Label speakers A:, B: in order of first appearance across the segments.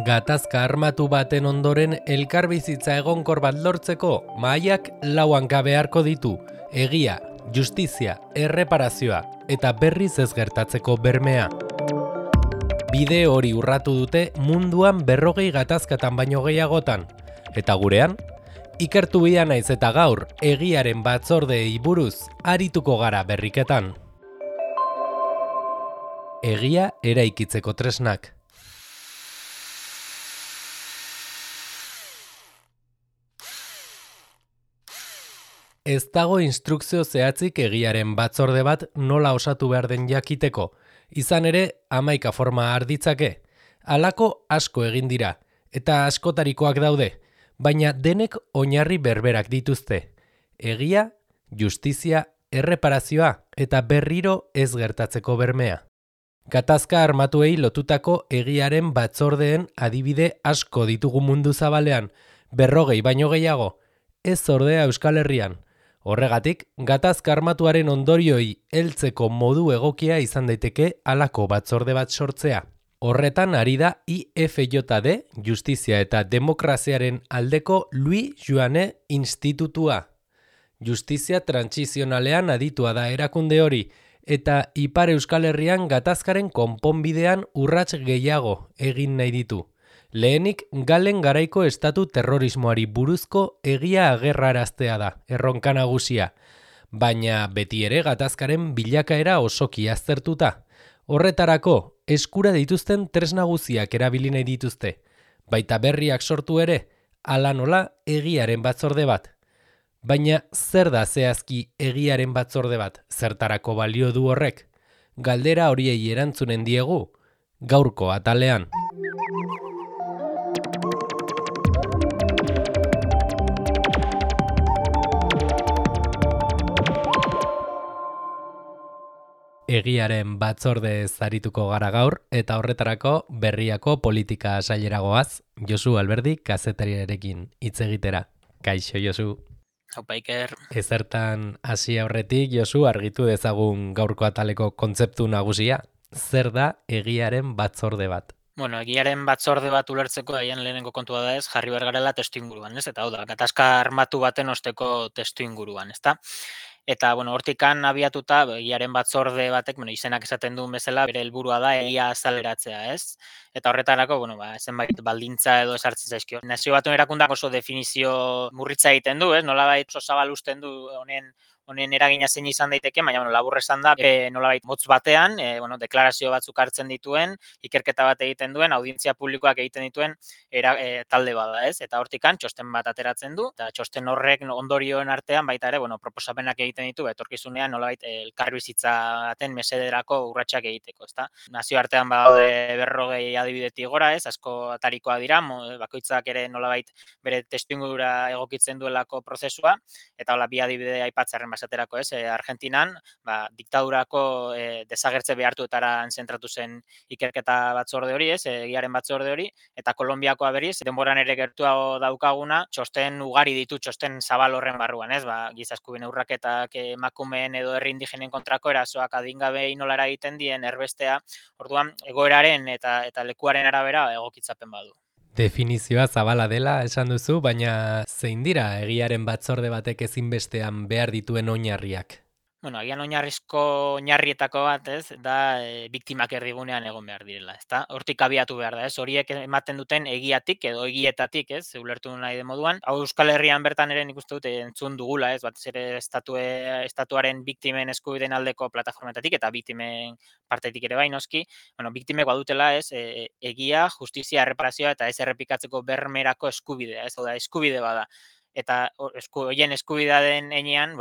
A: Gatazka armatu baten ondoren elkarbizitza egonkor bat lortzeko mahaiak lau hanka beharko ditu: egia, justizia, erreparazioa eta berriz ez gertatzeko bermea. Bide hori urratu dute munduan 40 gatazkatan baino gehiagotan, eta gurean, ikertu bida naiz eta gaur egiaren batzordeei buruz arituko gara berriketan. Egia eraikitzeko tresnak. Ez dago instrukzio zehatzik egiaren batzorde bat nola osatu behar den jakiteko, izan ere 11 forma har ditzake. Halako asko egin dira, eta askotarikoak daude, baina denek oinarri berberak dituzte: egia, justizia, erreparazioa eta berriro ez gertatzeko bermea. Gatazka armatuei lotutako egiaren batzordeen adibide asko ditugu mundu zabalean, 40 baino gehiago, ez ordea Euskal Herrian. Horregatik, gatazka armatuaren ondorioi heltzeko modu egokia izan daiteke halako batzorde bat sortzea. Horretan ari da IFJD, Justizia eta Demokraziaren aldeko Louis Joannet Institutua. Justizia trantsizionalean aditua da erakunde hori, eta Ipar Euskal Herrian gatazkaren konponbidean urrats gehiago egin nahi ditu. Lehenik, Galen garaiko estatu terrorismoari buruzko egia agerraraztea da, erronka nagusia, baina beti ere gatazkaren bilakaera osoki aztertuta. Horretarako, eskura dituzten tresna nagusiak erabili nahi dituzte, baita berriak sortu ere, hala nola egiaren batzorde bat. Baina zer da zehazki egiaren batzorde bat, zertarako balio du horrek? Galdera horiei erantzunen diegu, gaurko atalean. Egiaren batzorde zarituko gara gaur, eta horretarako berriako politika saileragoaz, Josu Alberdi kazetariarekin hitz egitera. Kaixo, Josu.
B: Haupa, Iker.
A: Ezertan hasi aurretik, Josu, argitu dezagun gaurko ataleko kontzeptu nagusia. Zer da egiaren batzorde bat?
B: Bueno, egiaren batzorde bat ulertzeko haien lehenengo kontua da ez, jarri behar garela testuinguruan, ez? Eta hau da, gatazka armatu baten osteko testuinguruan, ezta? Eta, bueno, hortikan abiatuta, egiaren batzorde batek, izenak esaten duen bezala, bere helburua da egia azaleratzea, ez? Eta horretarako, zenbait baldintza edo esartzen zaizkio. Nazio Batuen Erakundeak oso definizio murritza egiten du, ez? Nolabait oso zabal usten du honen eragina zein izan daiteke, baina labur esan da, nolabait motz batean, deklarazio batzuk hartzen dituen, ikerketa bat egiten duen, audientzia publikoak egiten dituen talde bada, ez? Eta hortikan txosten bat ateratzen du, eta txosten horrek ondorioen artean baita ere, proposamenak egiten ditu, etorkizunean nolabait elkarbizitza baten mesederako urratsak egiteko, ezta? Nazioartean badaude 40 adibidetik gora, ez? Asko atarikoa dira, bakoitzak ere nolabait bere testuingurura egokitzen duelako prozesua, eta hola bi adibide aipatzearren basaterako, ez? Argentinan, diktadurako desagertze behartuetara zentratu zen ikerketa batzorde hori, ez? Egiaren batzorde hori, eta Kolonbiakoa berriz, denboran ere gertuago daukaguna, txosten ugari ditu, txosten zabal horren barruan, ez? Giza eskubideen urraketak, emakumeen edo herri indigenen kontrako erasoak, adingabei nola egiten dien, erbestea, orduan egoeraren eta lekuaren arabera egokitzapen badu.
A: Definizioa zabala dela esan duzu, baina zein dira egiaren batzorde batek ezinbestean behar dituen oinarriak?
B: Agian oinarrizko oinarrietako bat, ez, da biktimak erdigunean egon behar direla, ezta? Hortik abiatu behar da, ez? Horiek ematen duten egiatik edo egietatik, ez? Ulertu nahi den moduan. Hau Euskal Herrian bertan ere nik uste dut entzun dugula, ez? Batez ere estatuaren biktimen eskubideen aldeko plataformetatik eta biktimen partetik ere bai noski. Biktimek badutela, ez? Egia, justizia, erreparazioa eta ez errepikatzeko bermerako eskubidea, ez? Hau da, eskubide bada. Eta horien eskubidea den heinean,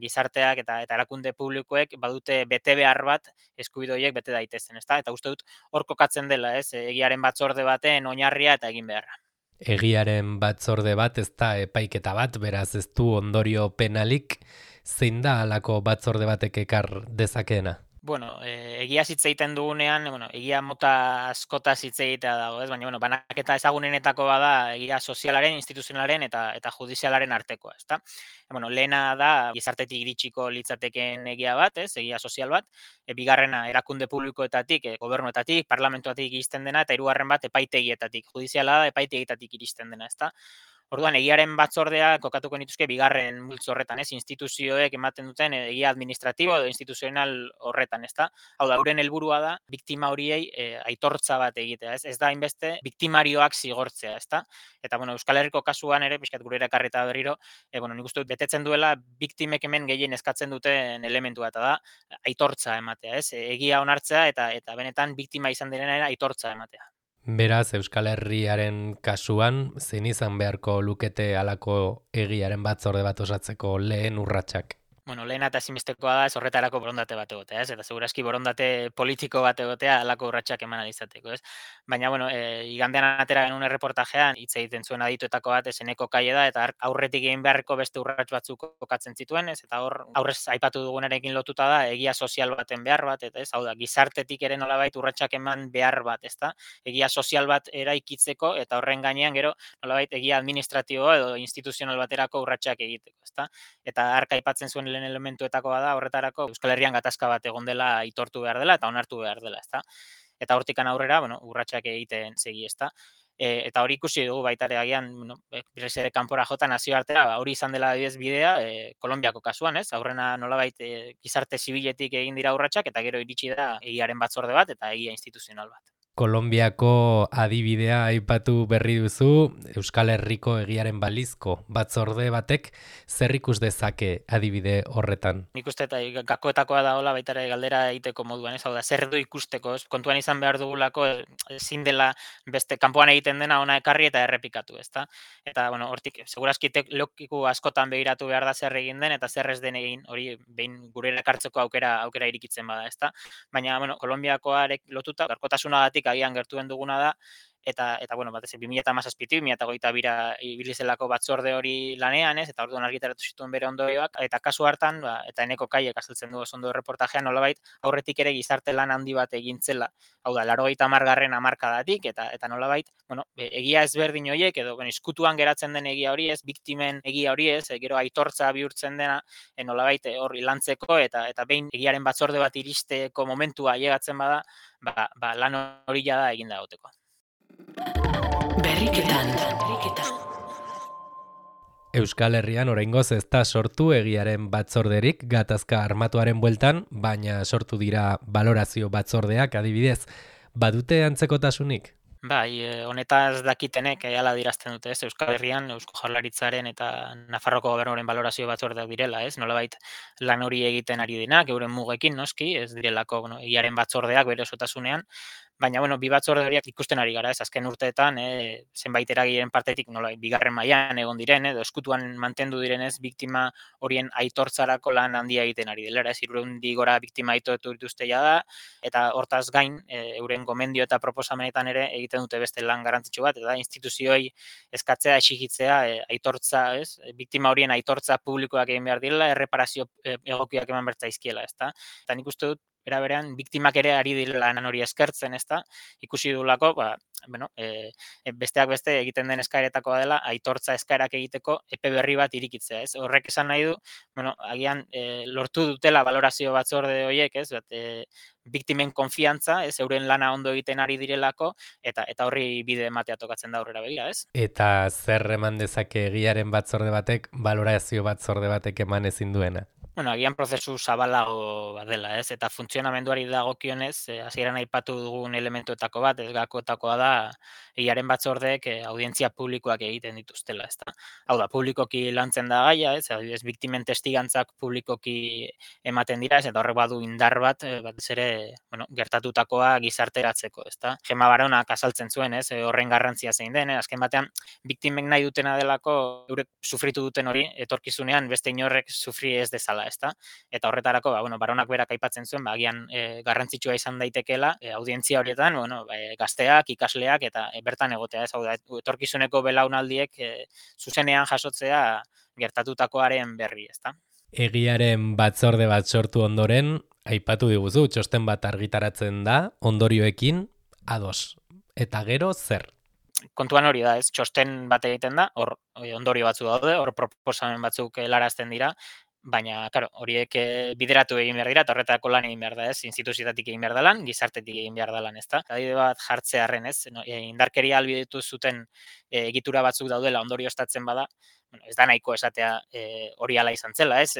B: gizarteak eta erakunde publikoek badute bete behar bat eskubide horiek bete daitezen, ezta? Eta uste dut hor kokatzen dela, ez? Egiaren batzorde baten oinarria eta egin beharra.
A: Egiaren batzorde bat ez da epaiketa bat, beraz ez du ondorio penalik, zein da halako batzorde batek ekar dezakeena?
B: Bueno, egia hitz egiten dugunean, egia mota askotaz hitz egitea dago, ez? Baina, banaketa ezagunenetako bada egia sozialaren, instituzionalaren eta judizialaren artekoa, ezta? Lehena da gizartetik iritsiko litzatekeen egia bat, ez? Egia sozial bat. Bigarrena erakunde publikoetatik, gobernuetatik, parlamentuatik iristen dena, eta hirugarren bat epaitegietatik. Judiziala da epaitegietatik iristen dena, ezta? Orduan, egiaren batzordea kokatuko nituzke bigarren multzo horretan, ez? Instituzioek ematen duten egia administratibo edo instituzional horretan, ezta? Hau da, euren helburua da biktima horiei aitortza bat egitea, ez? Ez da hainbeste biktimarioak zigortzea, ezta? Eta Euskal Herriko kasuan ere, pixkat gure ekarrita berriro, nik uste dut betetzen duela biktimek hemen gehien eskatzen duten elementua, eta da aitortza ematea, ez? Egia onartzea eta benetan biktima izan direnera aitortza ematea.
A: Beraz, Euskal Herriaren kasuan, zein izan beharko lukete halako egiaren batzorde bat osatzeko lehen urratsak?
B: Lehena eta ezinbestekoa da ez horretarako borondate bat egotea, ez? Eta segurazki borondate politiko bat egotea halako urratsak eman izateko, ez? Baina, igandean atera genuen erreportajean, hitz egiten zuen adituetako bat, eseneko kaie da, eta aurretik egin beharreko beste urrats batzuk kokatzen zituen, ez? Eta hor, aurrez aipatu dugunarekin lotuta da, egia sozial baten behar bat, eta ez? Hau da, gizartetik ere nolabait urratsak eman behar bat, ezta? Egia sozial bat eraikitzeko, eta horren gainean gero, nolabait egia administratibo edo instituzional baterako urratsak egiteko, ezta? Eta arka aipatzen zuen lehen elementuetakoa da horretarako Euskal Herrian gatazka bat egon dela aitortu behar dela eta onartu behar dela, ezta? Eta hortikan aurrera, urratsak egiten segi, ezta? Eta hori ikusi dugu baita ere agian, berriz ere kanpora jota nazioartera, hori izan dela adibidez bidea, Kolonbiako kasuan, ez? Aurrena nolabait gizarte zibiletik egin dira urratsak eta gero iritsi da egiaren batzorde bat eta egia instituzional bat.
A: Kolonbiako adibidea aipatu berri duzu, Euskal Herriko egiaren balizko batzorde batek zer ikus dezake adibide horretan?
B: Nik uste eta gakoetakoa da hola baita ere galdera egiteko moduan, ez? Hau da, zer du ikusteko, ez? Kontuan izan behar dugulako ezin dela beste kanpoan egiten dena ona ekarri eta errepikatu, ezta? Eta hortik segurazki lokiku askotan begiratu behar da zer egin den eta zer ez den egin, hori behin gure ekartzeko aukera irikitzen bada, ezta? Baina Kolonbiakoarek lotuta gaurkotasunagatik agian gertuen duguna da, eta batez 2017 2022ra ibili zelako batzorde hori lanean, ez? Eta orduan argitaratu zituen bere ondorioak, eta kasu hartan, eta eneko kaiek azaltzen du oso ondo erreportajean, nolabait aurretik ere gizarte lan handi bat egintzela. Hau da, 80garren hamarkadatik eta nolabait, egia ezberdin horiek edo izkutuan geratzen den egia hori, ez, biktimen egia hori, ez, gero aitortza bihurtzen dena, nolabait hori lantzeko eta behin egiaren batzorde bat iristeko momentua ailegatzen bada, lan hori da eginda egoteko.
A: Berriketan. Euskal Herrian oraingoz ez da sortu egiaren batzorderik gatazka armatuaren bueltan, baina sortu dira balorazio batzordeak adibidez. Badute antzekotasunik?
B: Bai, honetaz dakitenek hala dirazten dute, ez? Euskal Herrian, Eusko Jaurlaritzaren eta Nafarroko Gobernuaren balorazio batzordeak direla, ez? Nolabait lan hori egiten ari denak, euren mugekin, noski, ez direlako, egiaren batzordeak bere osotasunean, baina, bi batzorde horiak ikusten ari gara, ez? Azken urteetan, zenbait eragileen partetik, bigarren mailan egon diren, edo eskutuan mantendu direnez, biktima horien aitortzarako lan handia egiten ari dela, ez? 300 gora biktima aitortu dituzte da, eta hortaz gain, euren gomendio eta proposamenetan ere egiten dute beste lan garrantzitsu bat, eta instituzioei eskatzea, exigitzea, aitortza, ez? Biktima horien aitortza publikoak egin behar direla, erreparazio egokiak eman bertzaizkiela, ezta? Eta nik uste dut, berean biktimak ere ari direla lan hori eskertzen, ezta? Ikusi dugulako, besteak beste egiten den eskaeretakoa dela aitortza eskaerak egiteko epe berri bat irikitzea, ez? Horrek esan nahi du, agian lortu dutela balorazio batzorde horiek, ez? Biktimen konfiantza, ez, euren lana ondo egiten ari direlako eta horri bide ematea tokatzen da aurrera begira, ez?
A: Eta zer eman dezake egiaren batzorde batek balorazio batzorde batek eman ezin duena?
B: Agian prozesu zabalago bat dela, ez? Eta funtzionamenduari dagokionez, hasieran aipatu dugun elementuetako bat, ez gakoetakoa da egiaren batzordeek audientzia publikoak egiten dituztela, ezta? Hau da, publikoki lantzen da gaia, ez? Adibidez, biktimen testigantzak publikoki ematen dira, ez? Eta horrek badu indar bat, batez ere, gertatutakoa gizarteratzeko, ezta? Gema Baronak azaltzen zuen, ez? Horren garrantzia zein den, azken batean biktimek nahi dutena delako eurek sufritu duten hori etorkizunean beste inorrek sufri ez dezala, ezta? Eta horretarako, Baronak berak aipatzen zuen, agian garrantzitsua izan daitekeela audientzia horietan, gazteak, ikasleak eta bertan egotea, ez? Hau da, etorkizuneko belaunaldiek zuzenean jasotzea gertatutakoaren berri, ezta?
A: Egiaren batzorde bat sortu ondoren, aipatu diguzu, txosten bat argitaratzen da, ondorioekin ados. Eta gero zer?
B: Kontuan hori da, ez? Txosten bat egiten da, hor ondorio batzu daude, hor proposamen batzuk helarazten dira, baina, claro, horiek bideratu egin behar dira, eta horretako lan egin behar da, ez? Instituzioetatik egin behar da lan, gizartetik egin behar da lan, ez da? Adibide bat jartzearren, ez? Indarkeria ahalbidetu zuten egitura batzuk daudela ondorioztatzen bada, bueno, ez da nahiko esatea hori hala izan zela, ez?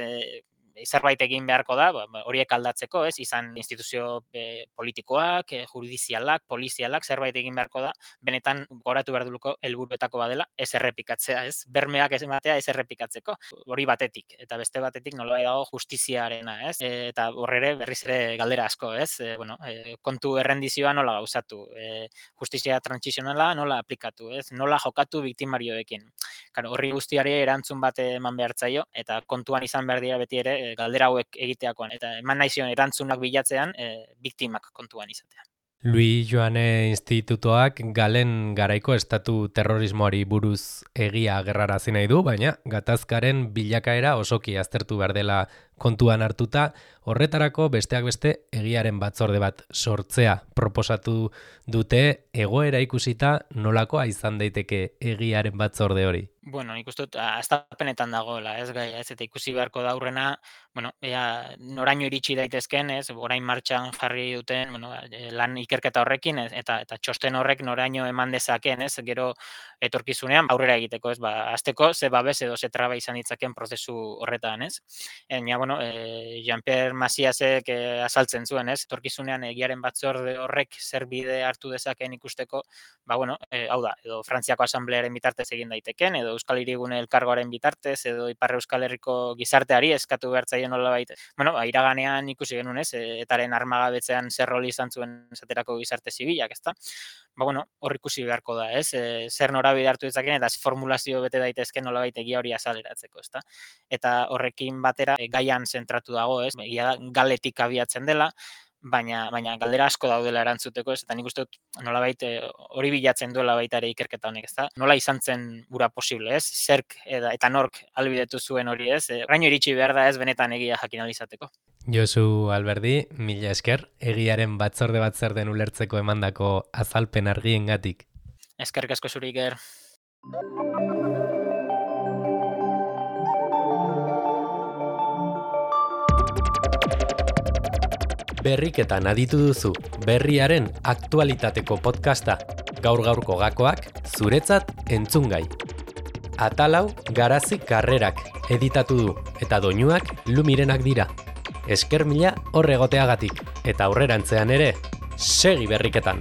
B: Zerbait egin beharko da, horiek aldatzeko, ez? Izan instituzio politikoak, judizialak, polizialak, zerbait egin beharko da, benetan goratu behar duluko helburuetako badela, ez errepikatzea, ez? Bermeak ez ematea ez errepikatzeko. Hori batetik, eta beste batetik nolabait dago justiziarena, ez? Eta horrere berriz ere galdera asko, ez? Kontu errendizioa nola gauzatu, justizia transisionala nola aplikatu, ez? Nola jokatu biktimarioekin. Claro, horri guztiari erantzun bat eman behar zaio, eta kontuan izan behar dira beti ere galdera hauek egiteakoan, eta eman nahi zion erantzunak bilatzean biktimak kontuan izatea.
A: Luis Joane Institutoak Galen garaiko estatu terrorismoari buruz egia agerrarazi nahi du, baina gatazkaren bilakaera osoki aztertu behar dela kontuan hartuta, horretarako besteak beste egiaren batzorde bat sortzea proposatu dute, egoera ikusita nolakoa izan daiteke egiaren batzorde hori.
B: Bueno, nik uste dut, astapenetan dagoela, ez gai, ez, eta ikusi beharko da aurrena, bueno, noraino iritsi daitezken, ez, orain martxan jarri duten, bueno, lan ikerketa horrekin, eta txosten horrek noraino eman dezaken, ez, gero etorkizunean aurrera egiteko, ez, azteko, ze babes edo ze traba izan ditzaken prozesu horretan, ez. Baina, bueno, Jean-Pierre Maciasek azaltzen zuen, ez, etorkizunean egiaren batzorde horrek zer bide hartu dezaken ikusteko, bueno, hau da, edo Frantziako Asamblearen bitartez egin daiteken, edo Euskal Hirigune elkargoaren bitartez, edo Ipar Euskal Herriko gizarteari eskatu behar zaio nolabait. Bueno, iraganean ikusi genuen, ez, etaren armagabetzean zer roli izan zuen esaterako gizarte zibilak, ezta? Bueno, hor ikusi beharko da, ez? Zer norabide hartu ditzaken eta formulazio bete daitezken nolabait egia hori azaleratzeko, ezta? Eta horrekin batera gaian zentratu dago, ez? Egia galetik abiatzen dela, baina galdera asko daudela erantzuteko, ez? Eta nik uste dut nolabait hori bilatzen duela baita ere ikerketa honek, ezta? Nola izan zen gura posible, ez? Zerk eta nork ahalbidetu zuen hori, ez? Oraino iritsi behar da, ez, benetan egia jakin ahal izateko.
A: Josu Alberdi, mila esker, egiaren batzorde bat zer den ulertzeko emandako azalpen argiengatik.
B: Eskerrik asko zuri, Iker.
A: Berriketan aditu duzu, berriaren aktualitateko podcasta, gaur-gaurko gakoak, zuretzat entzungai. Atalau Garazi Karrerak editatu du, eta doinuak Lumirenak dira. Esker mila horregoteagatik, eta aurrerantzean ere, segi berriketan!